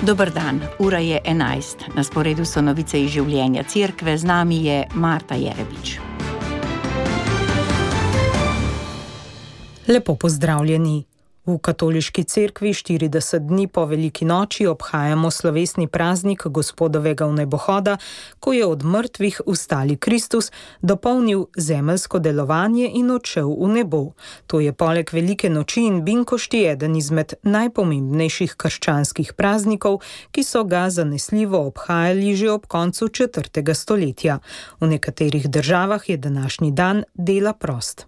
Dober dan, ura je 11. Na sporedu so novice iz življenja cerkve, z nami je Marta Jerebič. Lepo pozdravljeni. V katoliški cerkvi 40 dni po veliki noči obhajamo slovesni praznik Gospodovega vnebohoda, ko je od mrtvih vstali Kristus, dopolnil zemeljsko delovanje in odšel v nebo. To je poleg velike noči in binkošti eden izmed najpomembnejših krščanskih praznikov, ki so ga zanesljivo obhajali že ob koncu 4. stoletja. V nekaterih državah je današnji dan dela prost.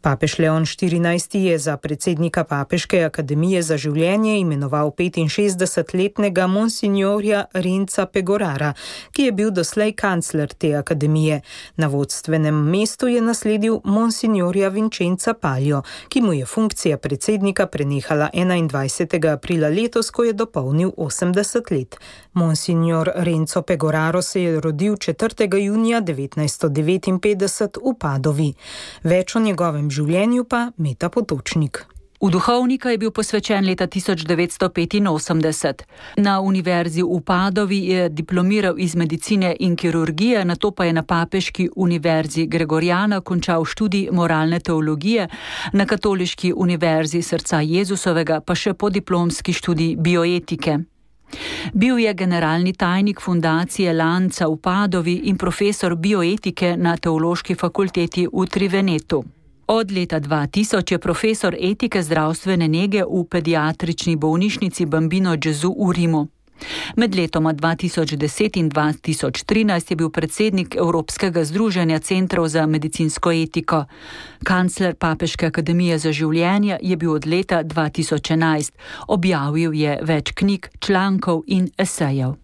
Papež Leon XIV je za predsednika Papeške akademije za življenje imenoval 65-letnega monsignorja Renca Pegorara, ki je bil doslej kancler te akademije. Na vodstvenem mestu je nasledil monsignorja Vincenza Palio, ki mu je funkcija predsednika prenehala 21. aprila letos, ko je dopolnil 80 let. Monsignor Renzo Pegoraro se je rodil 4. junija 1959 v Padovi. Več o njegovem življenju pa Meta Potočnik. V duhovnika je bil posvečen leta 1985. Na univerzi v Padovi je diplomiral iz medicine in kirurgije, nato pa je na Papeški univerzi Gregoriana končal študij moralne teologije, na Katoliški univerzi Srca Jezusovega pa še podiplomski študij bioetike. Bil je generalni tajnik fundacije Lanca v Padovi in profesor bioetike na Teološki fakulteti v Trivenetu. Od leta 2000 je profesor etike zdravstvene nege v pediatrični bolnišnici Bambino Gesù v Rimu. Med letoma 2010 in 2013 je bil predsednik Evropskega združenja centrov za medicinsko etiko. Kancler Papeške akademije za življenje je bil od leta 2011. Objavil je več knjig, člankov in esejev.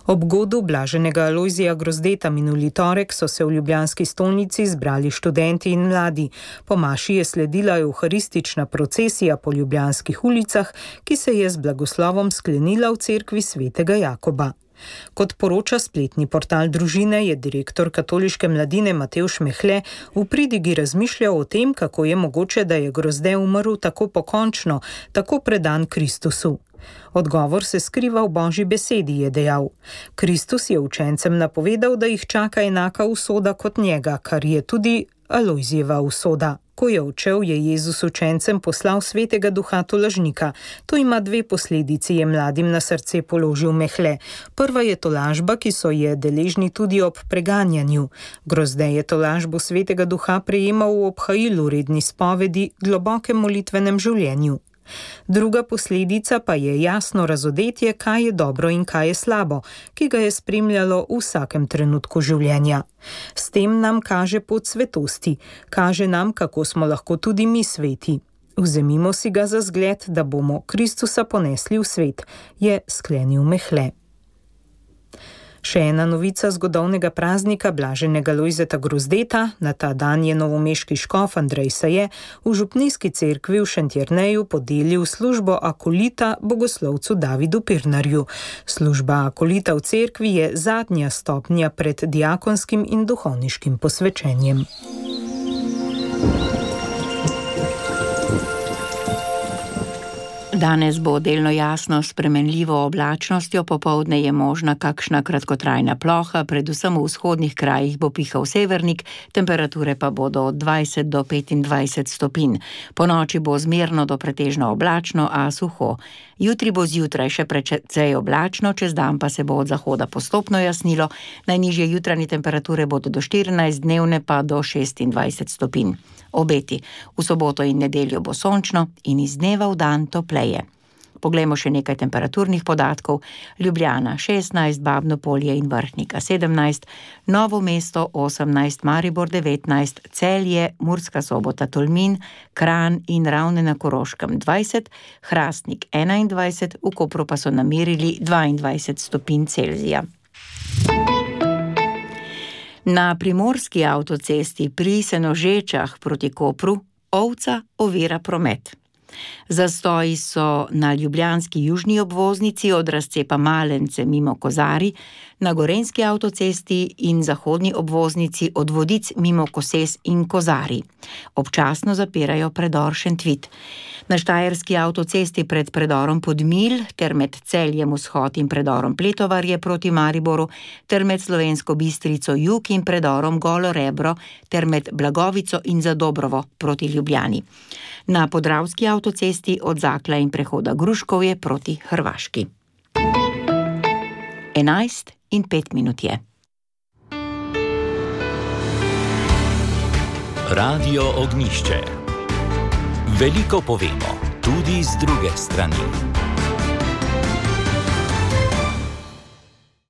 Ob godu blaženega Alojzija Grozdeta minuli torek so se v ljubljanski stolnici zbrali študenti in mladi. Po maši je sledila evharistična procesija po ljubljanskih ulicah, ki se je z blagoslovom sklenila v cerkvi svetega Jakoba. Kot poroča spletni portal Družine, je direktor katoliške mladine Matevž Mehle v pridigi razmišljal o tem, kako je mogoče, da je Grozde umrl tako pokončno, tako predan Kristusu. Odgovor se skriva v Božji besedi, je dejal. Kristus je učencem napovedal, da jih čaka enaka usoda kot njega, kar je tudi Alojzijeva usoda. Ko je odšel, je Jezus učencem poslal svetega duha tolažnika. To ima dve posledici, je mladim na srce položil Mehle. Prva je tolažba, ki so je deležni tudi ob preganjanju. Grozde je tolažbo svetega duha prejemal v obhajilu, redni spovedi, globokem molitvenem življenju. Druga posledica pa je jasno razodetje, kaj je dobro in kaj je slabo, ki ga je spremljalo v vsakem trenutku življenja. S tem nam kaže pot svetosti, kaže nam, kako smo lahko tudi mi sveti. Vzemimo si ga za zgled, da bomo Kristusa ponesli v svet, je sklenil Mehle. Še ena novica zgodovnega praznika blaženega Lojzeta Grozdeta. Na ta dan je novomeški škof Andrej Saje v župnijski cerkvi v Šentjerneju podelil službo akolita bogoslovcu Davidu Pirnarju. Služba akolita v cerkvi je zadnja stopnja pred diakonskim in duhovniškim posvečenjem. Danes bo delno jasno s spremenljivo oblačnostjo, popoldne je možna kakšna kratkotrajna ploha, predvsem v vzhodnih krajih bo pihal severnik, temperature pa bodo od 20 do 25 stopinj. Ponoči bo zmerno do pretežno oblačno, a suho. Jutri bo zjutraj še precej oblačno, čez dan pa se bo od zahoda postopno jasnilo, najnižje jutranje temperature bodo do 14, dnevne pa do 26 stopinj. Obeti. V soboto in nedeljo bo sončno in iz dneva v dan topleje. Poglejmo še nekaj temperaturnih podatkov. Ljubljana 16, Babno Polje in Vrhnika 17, Novo mesto 18, Maribor 19, Celje, Murska Sobota, Tolmin, Kranj in Ravne na Koroškem 20, Hrastnik 21, v Kopru pa so namerili 22 stopinj Celzija. Na primorski avtocesti pri Senožečah proti Kopru ovca ovira promet. Zastoji so na ljubljanski južni obvoznici od razcepa Malence mimo Kozari, na Gorenjski avtocesti in zahodni obvoznici od Vodic mimo Koses in Kozarij. Občasno zapirajo predor Šentvid. Na Štajerski avtocesti pred predorom Podmilj ter med Celjem Vzhod in predorom Pletovarje proti Mariboru ter med Slovensko Bistrico jug in predorom Golo Rebro ter med Blagovico in Zadobrovo proti Ljubljani. Na Podravski avtocesti od Zakla in prehoda Gruškovje proti Hrvaški. 11:05 je. Radio Ognjišče. Veliko povemo, tudi z druge strani.